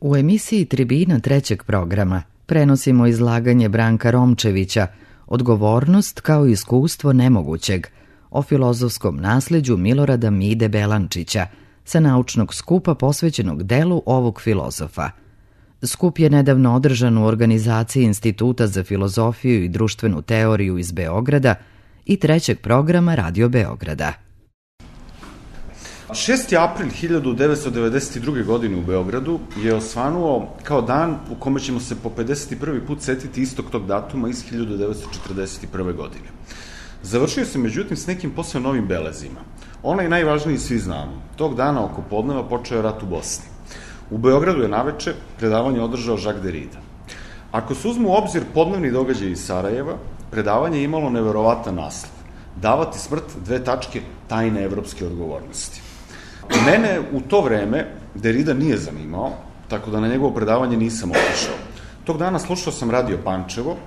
U emisiji Tribina trećeg programa prenosimo izlaganje Branka Romčevića Odgovornost kao iskustvo nemogućeg o filozofskom nasleđu Milorada Mide Belančića sa naučnog skupa posvećenog delu ovog filozofa. Skup je nedavno održan u organizaciji Instituta za filozofiju i društvenu teoriju iz Beograda i trećeg programa Radio Beograda. 6. april 1992. godine u Beogradu je osvanuo kao dan u kome ćemo se po 51. put setiti istog tog datuma iz 1941. godine. Završio se međutim s nekim posve novim belezima. Onaj najvažniji svi znamo. Tog dana oko podneva počeo je rat u Bosni. U Beogradu je naveče predavanje održao Jacques Derrida. Ako se uzmu u obzir podnevni događaj iz Sarajeva, predavanje je imalo neverovatan naslov. Davati smrt : tajne evropske odgovornosti. Mene u to vreme Derrida nije zanimao, tako da na njegovo predavanje nisam otišao. Tog dana slušao sam Radio Pančevo,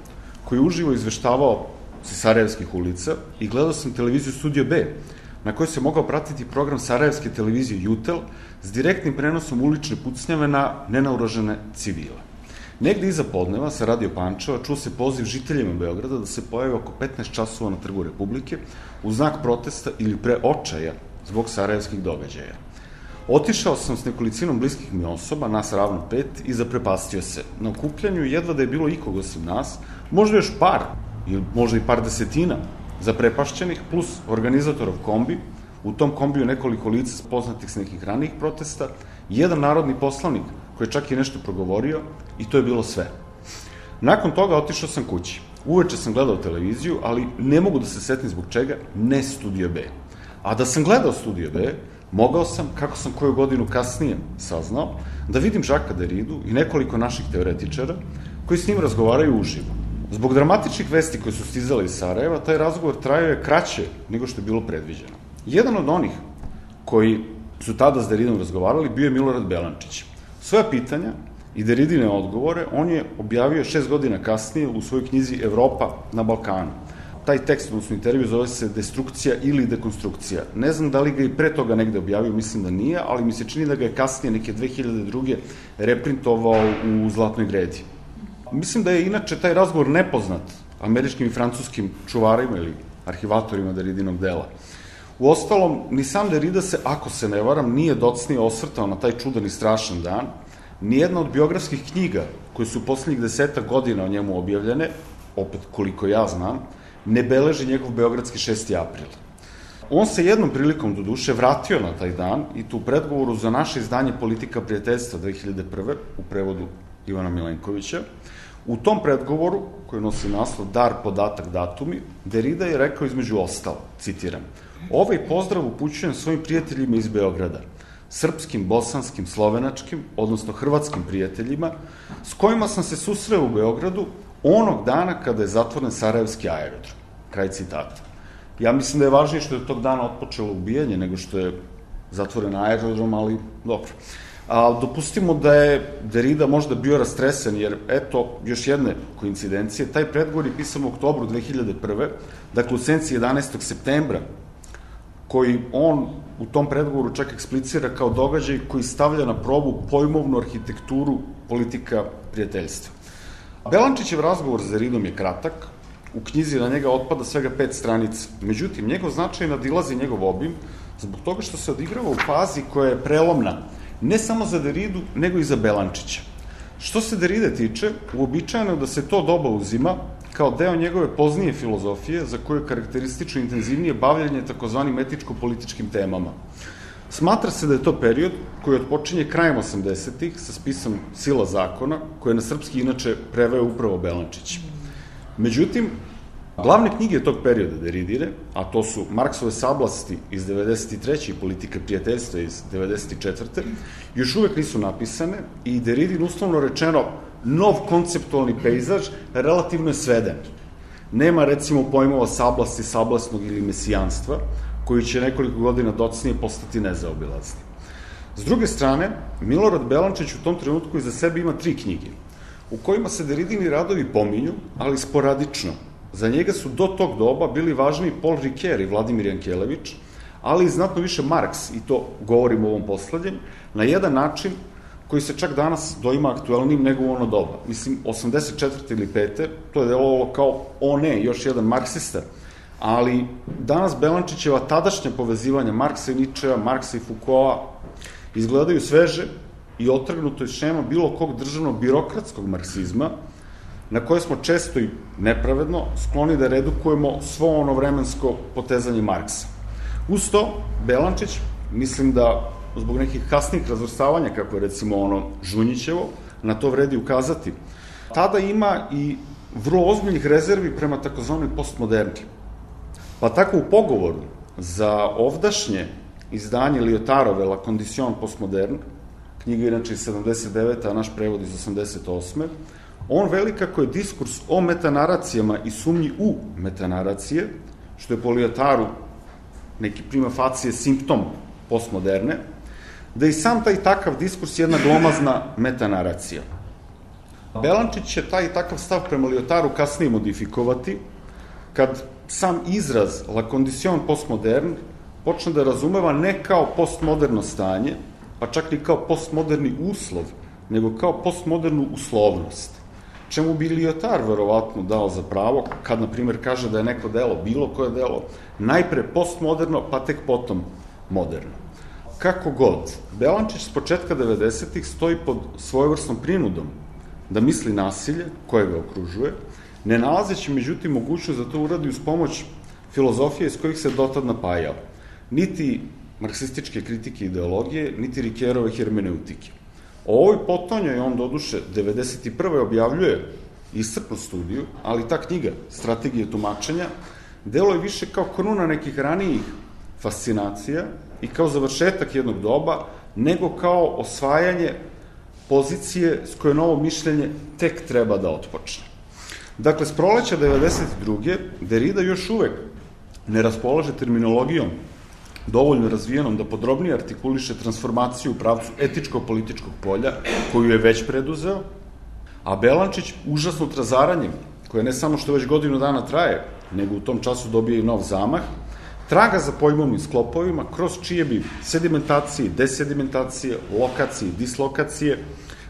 koji uživo izveštavao sa Sarajevskih ulica i gledao sam televiziju Studio B, na kojoj se mogao pratiti program Sarajevske televizije Jutel s direktnim prenosom ulične pucnjave na nenaoružane civile. Negde iza podneva sa Radio Pančeva čuo se poziv žiteljima Beograda da se pojave oko 15 časova na Trgu Republike u znak protesta ili pre očaja zbog sarajevskih događaja. Otišao sam s nekolicinom bliskih mi osoba, nas ravno 5, i zaprepastio se. Na okupljanju jedva da je bilo ikog osim nas, možda još par, ili možda i par desetina zaprepašćenih, plus organizatorov kombi, u tom kombiju nekoliko lica poznatih s nekih ranijih protesta, jedan narodni poslanik koji je čak i nešto progovorio, i to je bilo sve. Nakon toga otišao sam kući. Uveče sam gledao televiziju, ali ne mogu da se setim zbog čega, ne Studio B. A da sam gledao Studio B, mogao sam, kako sam koju godinu kasnije saznao, da vidim Jacquesa Derridu i nekoliko naših teoretičara koji s njim razgovaraju uživo. Zbog dramatičnih vesti koje su stizale iz Sarajeva, taj razgovor trajao je kraće nego što je bilo predviđeno. Jedan od onih koji su tada s Derridom razgovarali bio je Milorad Belančić. Svoja pitanja i Derridine odgovore on je objavio 6 godina kasnije u svojoj knjizi Evropa na Balkanu. Taj tekst, odnosno intervju, zove se Destrukcija ili dekonstrukcija. Ne znam da li ga i pre toga negde objavio, mislim da nije, ali mi se čini da ga je kasnije, neke 2002. reprintovao u Zlatnoj gredi. Mislim da je inače taj razgovor nepoznat američkim i francuskim čuvarima ili arhivatorima Derridinog dela. Uostalom, ni sam Derrida se, ako se ne varam, nije docnije osvrtao na taj čudan i strašan dan. Nijedna od biografskih knjiga koje su poslednjih 10 godina o njemu objavljene, opet koliko ja znam, ne beleži njegov beogradski 6. april. On se jednom prilikom do duše vratio na taj dan i tu u predgovoru za naše izdanje Politika prijateljstva 2001. u prevodu Ivana Milenkovića. U tom predgovoru, koji nosi naslov Dar, podatak, datumi, Derrida je rekao između ostalo, citiram: "Ovaj pozdrav upućujem svojim prijateljima iz Beograda, srpskim, bosanskim, slovenačkim, odnosno hrvatskim prijateljima, s kojima sam se susreo u Beogradu onog dana kada je zatvoren Sarajevski aerodrom." Kraj citata. Ja mislim da je važnije što je tog dana otpočelo ubijanje nego što je zatvoren aerodrom, ali dobro. Dopustimo da je Derrida možda bio rastresen, jer eto, još jedne koincidencije, taj predgovor je pisan u oktobru 2001. Dakle, u senci 11. septembra, koji on u tom predgovoru čak eksplicira kao događaj koji stavlja na probu pojmovnu arhitekturu politika prijateljstva. Belančićev razgovor s Derridom je kratak, u knjizi na njega otpada svega 5 stranica. Međutim, njegov značaj nadilazi njegov obim zbog toga što se odigrava u fazi koja je prelomna, ne samo za Derridu, nego i za Belančića. Što se Derride tiče, uobičajeno je da se to doba uzima kao deo njegove poznije filozofije, za koju je karakteristično intenzivnije bavljanje takozvanim etičko-političkim temama. Smatra se da je to period koji odpočinje krajem 80-ih sa spisom Sila zakona, koje je na srpski inače preveo upravo Belančić. Međutim, glavne knjige tog perioda Derridine, a to su Marksove sablasti iz 93. i Politika prijateljstva iz 94. još uvek nisu napisane i Derridin, uslovno rečeno, nov konceptualni pejzaž relativno je sveden. Nema, recimo, pojmova sablasti, sablasnog ili mesijanstva, koji će nekoliko godina docnije postati nezaobilazni. S druge strane, Milorad Belančić u tom trenutku iza sebe ima 3 knjige, u kojima se Derridini radovi pominju, ali sporadično. Za njega su do tog doba bili važniji Paul Ricoeur i Vladimir Jankelević, ali i znatno više Marks, i to govorim o ovom poslednjem, na jedan način koji se čak danas doima aktuelnim nego u ono doba. Mislim, 84. ili 5. to je delovalo kao, još jedan marksista, ali danas Belančićeva tadašnja povezivanja Marksa i Ničea, Marksa i Fukoa izgledaju sveže i otrgnuto iz šema bilo kog državnog birokratskog marksizma, na koje smo često i nepravedno skloni da redukujemo svo ono vremensko potezanje Marksa. Uz to, Belančić, mislim da zbog nekih kasnih razvrstavanja, kako je recimo ono Žunjićevo, na to vredi ukazati, tada ima i vrlo ozbiljnih rezervi prema takozvanoj postmoderni. Pa tako u pogovoru za ovdašnje izdanje Lyotarove La Condition postmoderne, knjiga inače iz 79. a naš prevod iz 88. On veli kako je diskurs o metanaracijama i sumnji u metanaracije, što je po Lyotaru neki prima facie simptom postmoderne, da i sam taj takav diskurs je jedna glomazna metanaracija. Belančić će taj takav stav prema Lyotaru kasnije modifikovati, kad sam izraz La Condition postmoderne počne da razumeva ne kao postmoderno stanje, pa čak i kao postmoderni uslov, nego kao postmodernu uslovnost. Čemu bi Lyotar verovatno dao za pravo, kad, na primjer, kaže da je neko delo, bilo koje delo, najpre postmoderno, pa tek potom moderno. Kako god, Belančić s početka 90-ih stoji pod svojevrsnom prinudom da misli nasilje koje ga okružuje, ne nalazeći međutim mogućnost da to uradi uz pomoć filozofije iz kojih se dotad napajao. Niti marksističke kritike ideologije, niti Rikerove hermeneutike. O ovoj potonjoj on doduše 91. objavljuje iscrpnu studiju, ali ta knjiga, Strategije tumačenja, deluje više kao kruna nekih ranijih fascinacija i kao završetak jednog doba, nego kao osvajanje pozicije s koje novo mišljenje tek treba da otpočne. Dakle, s proleća 92. Derrida još uvek ne raspolaže terminologijom dovoljno razvijenom da podrobnije artikuliše transformaciju u pravcu etičko-političkog polja, koju je već preduzeo, a Belančić užasnut razaranjem, koje ne samo što već godinu dana traje, nego u tom času dobije i nov zamah, traga za pojmovnim sklopovima, kroz čije bi sedimentacije, desedimentacije, lokacije, dislokacije,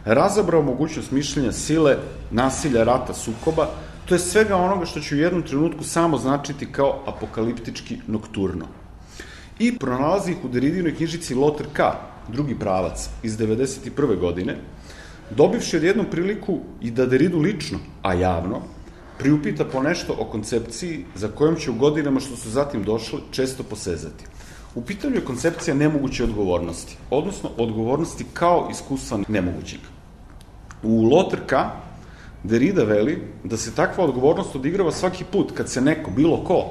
razabrao mogućnost mišljenja sile, nasilja, rata, sukoba, to je svega onoga što će u jednom trenutku samo značiti kao apokaliptički nokturno. I pronalazi ih u Derridinoj knjižici Lothar K., drugi pravac, iz 91. godine, dobivši odjednom priliku i da Derridu lično, a javno, priupita po nešto o koncepciji za kojom će u godinama što su zatim došli često posezati. U pitanju je koncepcija nemoguće odgovornosti, odnosno odgovornosti kao iskustva nemogućeg. U Lothar K. Derrida veli da se takva odgovornost odigrava svaki put kad se neko, bilo ko,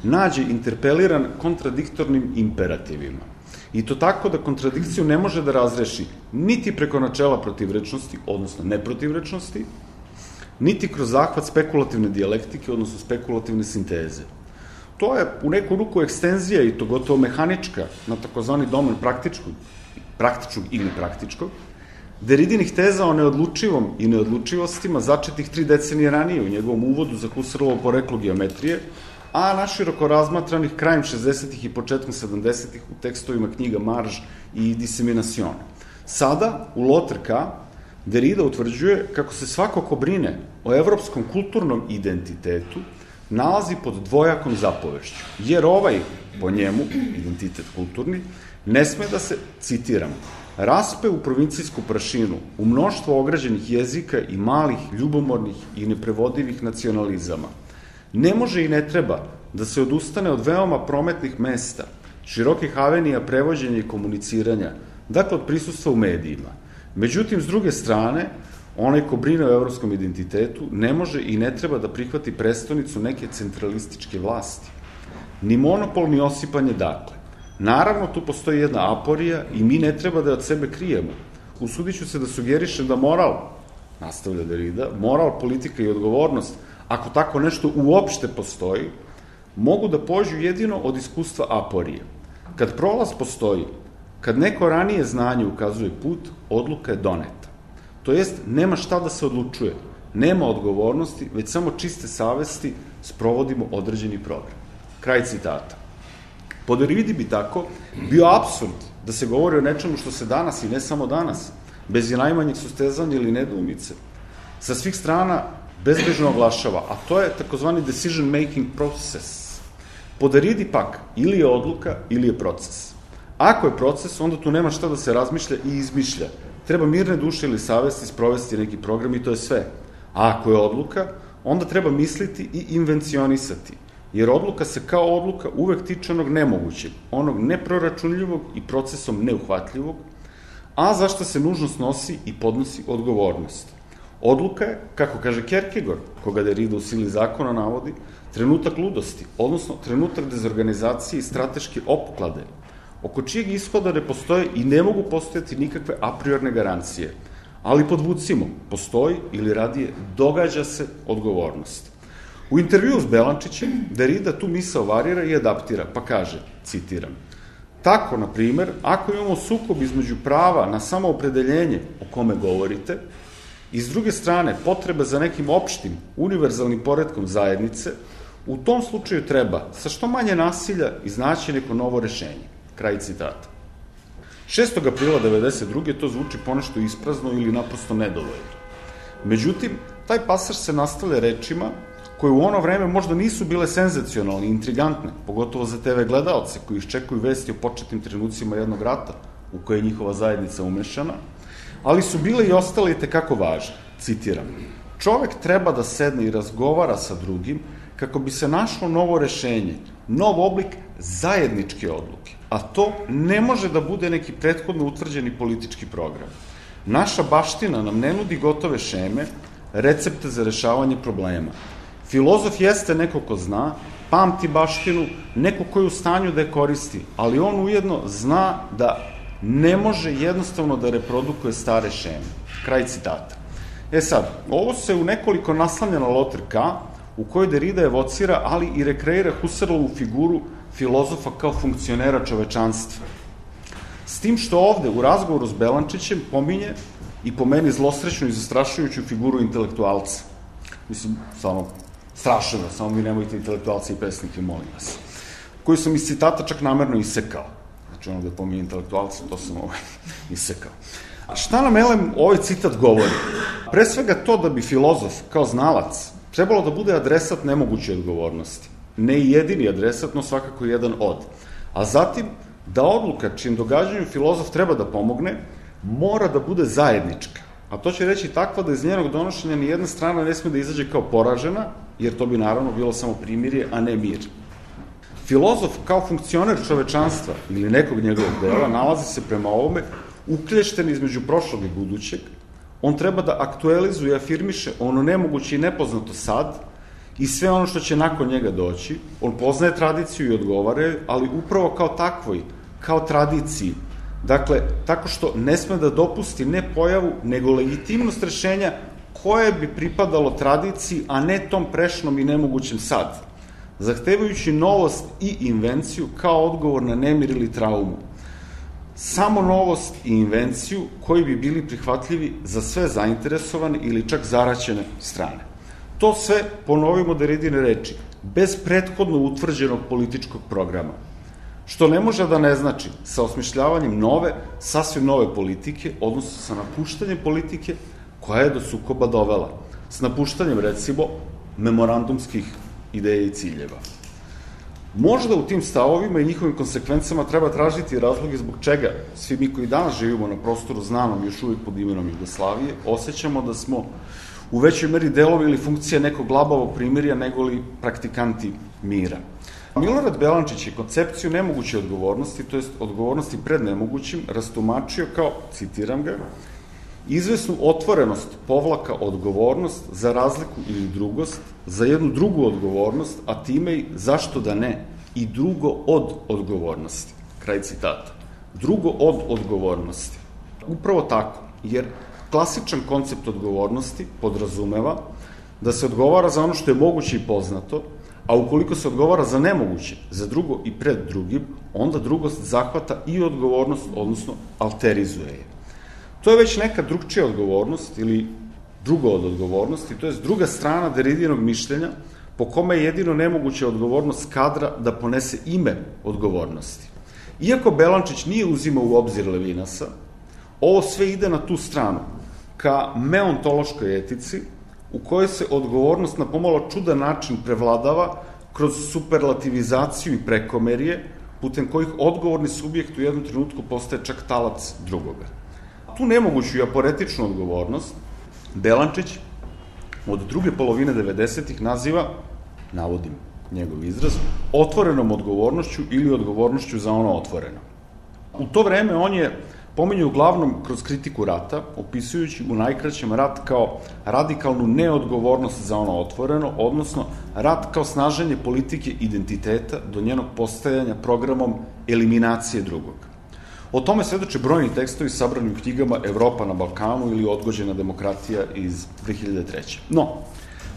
nađe interpeliran kontradiktornim imperativima. I to tako da kontradikciju ne može da razreši niti preko načela protivrečnosti, odnosno neprotivrečnosti, niti kroz zahvat spekulativne dijalektike, odnosno spekulativne sinteze. To je u neku ruku ekstenzija i to gotovo mehanička na takozvani domen praktičnog ili praktičkog, Derridinih teza o neodlučivom i neodlučivostima začetih 3 decenije ranije u njegovom uvodu za Husserlovo poreklo geometrije, a naširoko razmatranih krajem 60-ih i početkom 70-ih u tekstovima knjiga Marž i Dissemination. Sada, u Lothar K., Derrida utvrđuje kako se svako ko brine o evropskom kulturnom identitetu nalazi pod dvojakom zapovešću, jer ovaj, po njemu, identitet kulturni, ne sme da se, citiram, raspe u provincijsku prašinu, u mnoštvo ograđenih jezika i malih, ljubomornih i neprevodivih nacionalizama. Ne može i ne treba da se odustane od veoma prometnih mesta, širokih avenija prevođenja i komuniciranja, dakle od prisustva u medijima. Međutim, s druge strane, onaj ko brine o evropskom identitetu ne može i ne treba da prihvati prestonicu neke centralističke vlasti. Ni monopol, ni osipanje dakle. Naravno, tu postoji jedna aporija i mi ne treba da je od sebe krijemo. Usudit ću se da sugerišem da moral, nastavlja Derrida, moral, politika i odgovornost, ako tako nešto uopšte postoji, mogu da pođu jedino od iskustva aporije. Kad prolaz postoji, kad neko ranije znanje ukazuje put, odluka je doneta. To jest, nema šta da se odlučuje, nema odgovornosti, već samo čiste savesti sprovodimo određeni program. Kraj citata. Po Derridi bi tako bio apsurd da se govori o nečemu što se danas i ne samo danas bez i najmanjeg sustezanja ili nedoumice, sa svih strana bezbrižno oglašava, a to je takozvani decision making process. Po Derridi pak, ili je odluka, ili je proces. Ako je proces, onda tu nema šta da se razmišlja i izmišlja. Treba mirne duše ili savesti sprovesti neki program i to je sve. A ako je odluka, onda treba misliti i invencionisati, jer odluka se kao odluka uvek tiče onog nemogućeg, onog neproračunljivog i procesom neuhvatljivog, a za šta se nužno snosi i podnosi odgovornost. Odluka je, kako kaže Kierkegaard, koga Derrida u sili zakona navodi, trenutak ludosti, odnosno trenutak dezorganizacije i strateške opoklade, oko čijeg ishoda ne postoje i ne mogu postojati nikakve a priorne garancije. Ali podvucimo, postoji ili radije događa se odgovornost. U intervjuu s Belančićem Derrida tu misao varira i adaptira, pa kaže, citiram, tako, na primer, ako imamo sukob između prava na samoopredeljenje o kome govorite i s druge strane potrebe za nekim opštim, univerzalnim poretkom zajednice, u tom slučaju treba sa što manje nasilja iznaći neko novo rešenje. Kraj citata. 6. aprila 1992. to zvuči ponešto isprazno ili naprosto nedovoljno. Međutim, taj pasaž se nastavlja rečima koje u ono vreme možda nisu bile senzacionalne i intrigantne, pogotovo za TV gledaoce koji iščekuju vesti o početnim trenucima jednog rata u koje je njihova zajednica umešana, ali su bile i ostale i tekako važne. Citiram, čovek treba da sedne i razgovara sa drugim kako bi se našlo novo rešenje, nov oblik zajedničke odluke. A to ne može da bude neki prethodno utvrđeni politički program. Naša baština nam ne nudi gotove šeme, recepte za rešavanje problema. Filozof jeste neko ko zna, pamti baštinu, neko ko je u stanju da je koristi, ali on ujedno zna da ne može jednostavno da reprodukuje stare šeme. Kraj citata. Sad, ovo se u nekoliko naslanja na Lothar K., u kojoj Derrida evocira, ali i rekreira Husserlovu figuru filozofa kao funkcionera čovečanstva. S tim što ovde, u razgovoru s Belančićem, pominje i po meni zlosrećnu i zastrašujuću figuru intelektualca. Mislim, samo strašno, samo vi nemojte intelektualci i pesnike, molim vas. Koju sam iz citata čak namerno isekao. Znači, ono da pominje intelektualca, to sam isekao. A šta nam, elem, ovaj citat govori? Pre svega to da bi filozof, kao znalac, trebalo da bude adresat nemoguće odgovornosti. Ne i jedini adresat, no svakako jedan od. A zatim, da odluka čim događanju filozof treba da pomogne, mora da bude zajednička. A to će reći takva da iz njenog donošenja ni jedna strana ne sme da izađe kao poražena, jer to bi naravno bilo samo primirje, a ne mir. Filozof kao funkcioner čovečanstva ili nekog njegovog dela nalazi se prema ovome uklješten između prošlog i budućeg. On treba da aktualizuje i afirmiše ono nemoguće i nepoznato sad i sve ono što će nakon njega doći. On poznaje tradiciju i odgovara, ali upravo kao takvoj, kao tradiciji. Dakle, tako što ne sme da dopusti ne pojavu, nego legitimnost rešenja koje bi pripadalo tradiciji, a ne tom prešnom i nemogućem sad, zahtevajući novost i invenciju kao odgovor na nemir ili traumu. Samo novost i invenciju koji bi bili prihvatljivi za sve zainteresovane ili čak zaraćene strane. To sve, ponovimo Derridine reči, bez prethodno utvrđenog političkog programa. Što ne može da ne znači sa osmišljavanjem nove, sasvim nove politike, odnosno sa napuštanjem politike koja je do sukoba dovela. S napuštanjem, recimo, memorandumskih ideja i ciljeva. Možda u tim stavovima i njihovim konsekvencama treba tražiti razloge zbog čega svi mi koji danas živimo na prostoru znanom još uvijek pod imenom Jugoslavije osjećamo da smo u većoj meri delovi ili funkcije nekog labavog primirja nego li praktikanti mira. Milorad Belančić je koncepciju nemoguće odgovornosti, to jest odgovornosti pred nemogućim, rastumačio kao, citiram ga, izvesnu otvorenost povlaka odgovornost za razliku ili drugost, za jednu drugu odgovornost, a time i zašto da ne, i drugo od odgovornosti. Kraj citata. Drugo od odgovornosti. Upravo tako, jer klasičan koncept odgovornosti podrazumeva da se odgovara za ono što je moguće i poznato, a ukoliko se odgovara za nemoguće, za drugo i pred drugim, onda drugost zahvata i odgovornost, odnosno alterizuje je. To je već neka drugčija odgovornost ili drugo od odgovornosti, to je druga strana Derridinog mišljenja po kome je jedino nemoguća odgovornost kadra da ponese ime odgovornosti. Iako Belančić nije uzimao u obzir Levinasa, Ovo sve ide na tu stranu, ka meontološkoj etici, u kojoj se odgovornost na pomalo čudan način prevladava kroz superlativizaciju i prekomerje, putem kojih odgovorni subjekt u jednom trenutku postaje čak talac drugoga. Tu nemoguću i aporetičnu odgovornost Belančić od druge polovine 90-ih naziva, navodim njegov izraz, otvorenom odgovornošću ili odgovornošću za ono otvoreno. U to vreme on je pominje uglavnom kroz kritiku rata, opisujući u najkraćem rat kao radikalnu neodgovornost za ono otvoreno, odnosno rat kao snaženje politike identiteta do njenog postajanja programom eliminacije drugog. O tome svedoče brojni tekstovi sabrani u knjigama Evropa na Balkanu ili Odgođena demokratija iz 2003. No,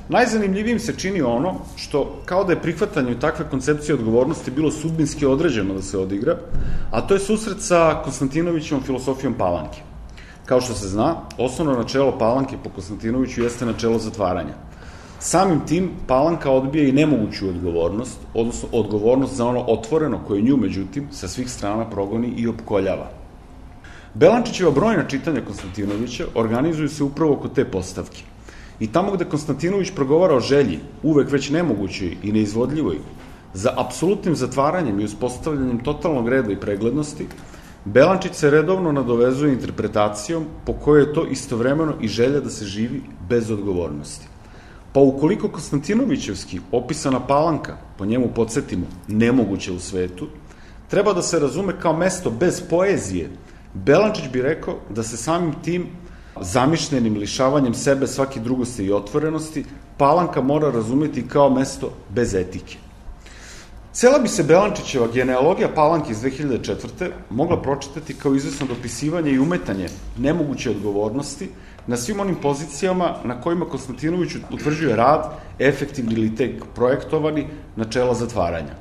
najzanimljivijim se čini ono što, kao da je prihvatanje takve koncepcije odgovornosti bilo sudbinski određeno da se odigra, a to je susret sa Konstantinovićevom filosofijom Palanke. Kao što se zna, osnovno načelo Palanke po Konstantinoviću jeste načelo zatvaranja. Samim tim, Palanka odbija i nemoguću odgovornost, odnosno odgovornost za ono otvoreno koje nju, međutim, sa svih strana progoni i opkoljava. Belančićeva brojna čitanja Konstantinovića organizuju se upravo oko te postavke. I tamo gde Konstantinović progovara o želji, uvek već nemogućoj i neizvodljivoj, za apsolutnim zatvaranjem i uspostavljanjem totalnog reda i preglednosti, Belančić se redovno nadovezuje interpretacijom po kojoj je to istovremeno i želja da se živi bez odgovornosti. Pa ukoliko Konstantinovićevski opisana Palanka, po njemu podsjetimo, nemoguće u svetu, treba da se razume kao mesto bez poezije, Belančić bi rekao da se samim tim zamišljenim lišavanjem sebe svake drugosti i otvorenosti, Palanka mora razumeti kao mesto bez etike. Cela bi se Belančićeva genealogija Palanke iz 2004. mogla pročitati kao izvesno dopisivanje i umetanje nemoguće odgovornosti na svim onim pozicijama na kojima Konstantinović utvrđuje rad, efektivni ili tek projektovani, načela zatvaranja.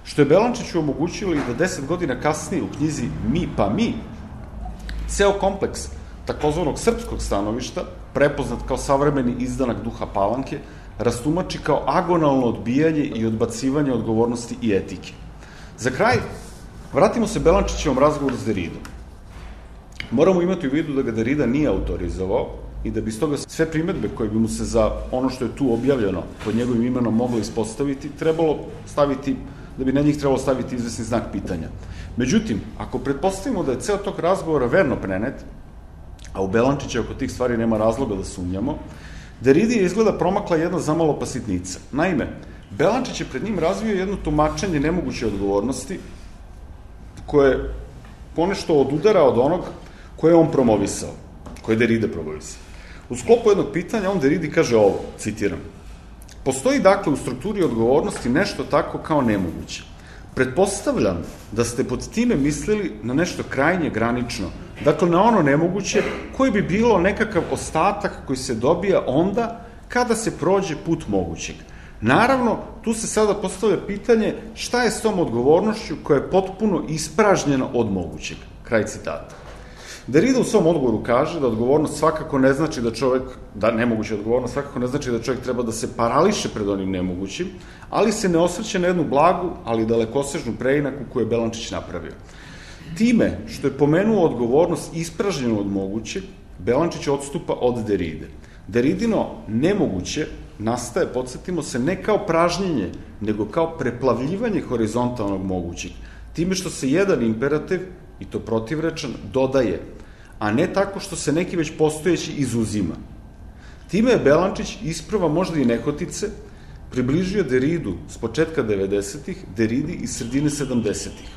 Što je Belančiću omogućilo i da 10 godina kasnije u knjizi Mi pa mi, ceo kompleks takozvanog srpskog stanovišta, prepoznat kao savremeni izdanak duha Palanke, rastumači kao agonalno odbijanje i odbacivanje odgovornosti i etike. Za kraj, vratimo se Belančićevom razgovoru s Deridom. Moramo imati u vidu da ga Derida nije autorizovao i da bi stoga sve primetbe koje bi mu se za ono što je tu objavljeno pod njegovim imenom moglo ispostaviti, da bi na njih trebalo staviti izvesni znak pitanja. Međutim, ako pretpostavimo da je ceo tog razgovora verno prenet, a u Belančića oko tih stvari nema razloga da sumnjamo, Deridi je izgleda promakla jedna zamalo pa sitnica. Naime, Belančić je pred njim razvio jedno tumačenje nemoguće odgovornosti koje ponešto odudara od onog koje je on promovisao, koje je Derida promovisao. U sklopu jednog pitanja on Deridi kaže ovo, citiram: "Postoji dakle u strukturi odgovornosti nešto tako kao nemoguće. Pretpostavljam da ste pod time mislili na nešto krajnje granično, dakle na ono nemoguće koji bi bilo nekakav ostatak koji se dobija onda kada se prođe put mogućeg. Naravno, tu se sada postavlja pitanje šta je s tom odgovornošću koja je potpuno ispražnjena od mogućeg." Kraj citata. Derida u svom odgovoru kaže da odgovornost svakako ne znači nemoguća odgovornost svakako ne znači da čovjek treba da se parališe pred onim nemogućim, ali se ne osvrće na jednu blagu, ali dalekosežnu preinaku koju je Belančić napravio. Time što je pomenuo odgovornost ispražnjenu od mogućeg, Belančić odstupa od Deride. Deridino nemoguće nastaje, podsjetimo se, ne kao pražnjenje, nego kao preplavljivanje horizontalnog mogućeg, time što se jedan imperativ, i to protivrečan, dodaje, a ne tako što se neki već postojeći izuzima. Time je Belančić isprva možda i nehotice približio Deridu s početka 90-ih, Deridi iz sredine 70-ih.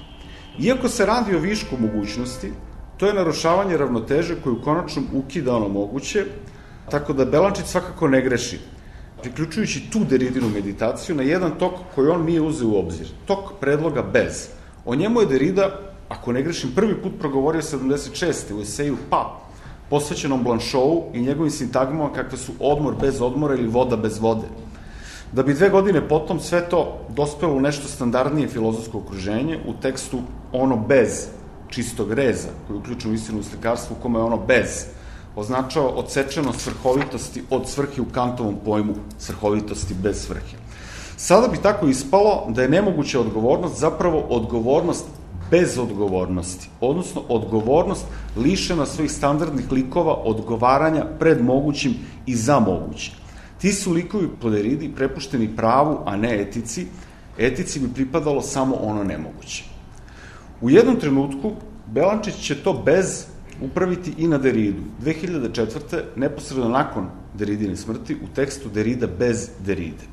Iako se radi o višku mogućnosti, to je narušavanje ravnoteže koju konačno ukida ono moguće, tako da Belančić svakako ne greši, priključujući tu Deridinu meditaciju na jedan tok koji on nije uzeo u obzir, tok predloga bez. O njemu je Derida, ako ne grešim, prvi put progovorio 76. u eseju Pa, posvećenom Blanchovu i njegovim sintagmama kakve su odmor bez odmora ili voda bez vode. Da bi 2 godine potom sve to dospelo u nešto standardnije filozofsko okruženje, u tekstu Ono bez čistog reza, koji je uključen u istinu u slikarstvu, u kome je ono bez označava odsečenost svrhovitosti od svrhe u Kantovom pojmu svrhovitosti bez svrhe. Sada bi tako ispalo da je nemoguća odgovornost zapravo odgovornost bez odgovornosti, odnosno odgovornost lišena svojih standardnih likova odgovaranja pred mogućim i za mogućim. Ti su likovi po Deridi prepušteni pravu, a ne etici. Etici bi pripadalo samo ono nemoguće. U jednom trenutku Belančić će to bez upraviti i na Deridu. 2004. neposredno nakon Deridine smrti u tekstu Derida bez Deride.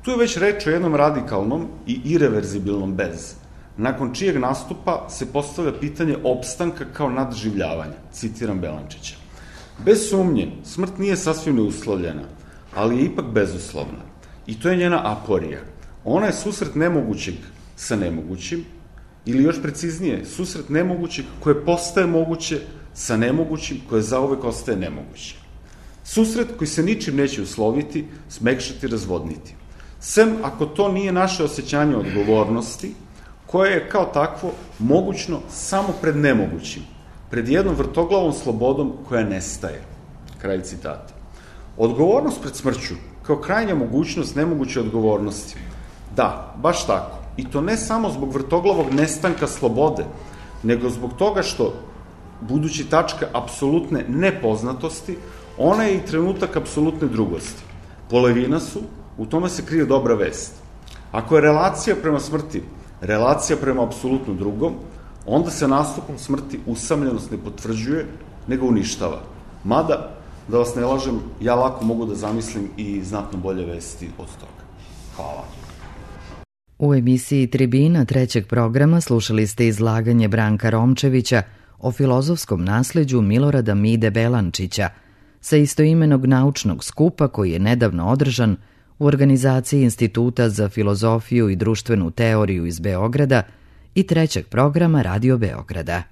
Tu je već reč o jednom radikalnom i ireverzibilnom bez, nakon čijeg nastupa se postavlja pitanje opstanka kao nadživljavanja, citiram Belančića. Bez sumnje, smrt nije sasvim neuslovljena, ali je ipak bezuslovna. I to je njena aporija. Ona je susret nemogućeg sa nemogućim, ili još preciznije, susret nemogućeg koje postaje moguće sa nemogućim koje zauvek ostaje nemoguće. Susret koji se ničim neće usloviti, smekšati, razvodniti. Sem ako to nije naše osjećanje odgovornosti, koje je kao takvo mogućno samo pred nemogućim, pred jednom vrtoglavom slobodom koja nestaje. Kraj citata. Odgovornost pred smrću, kao krajnja mogućnost nemoguće odgovornosti. Da, baš tako. I to ne samo zbog vrtoglavog nestanka slobode, nego zbog toga što, budući tačka apsolutne nepoznatosti, ona je i trenutak apsolutne drugosti. Polovina su, u tome se krije dobra vest. Ako je relacija prema smrti relacija prema apsolutno drugom, onda se nastupom smrti usamljenost ne potvrđuje, nego uništava. Mada, da vas ne lažem, ja lako mogu da zamislim i znatno bolje vesti od toga. Hvala. U emisiji Tribina trećeg programa slušali ste izlaganje Branka Romčevića o filozofskom nasleđu Milorada Mide Belančića sa istoimenog naučnog skupa koji je nedavno održan u organizaciji Instituta za filozofiju i društvenu teoriju iz Beograda i trećeg programa Radio Beograda.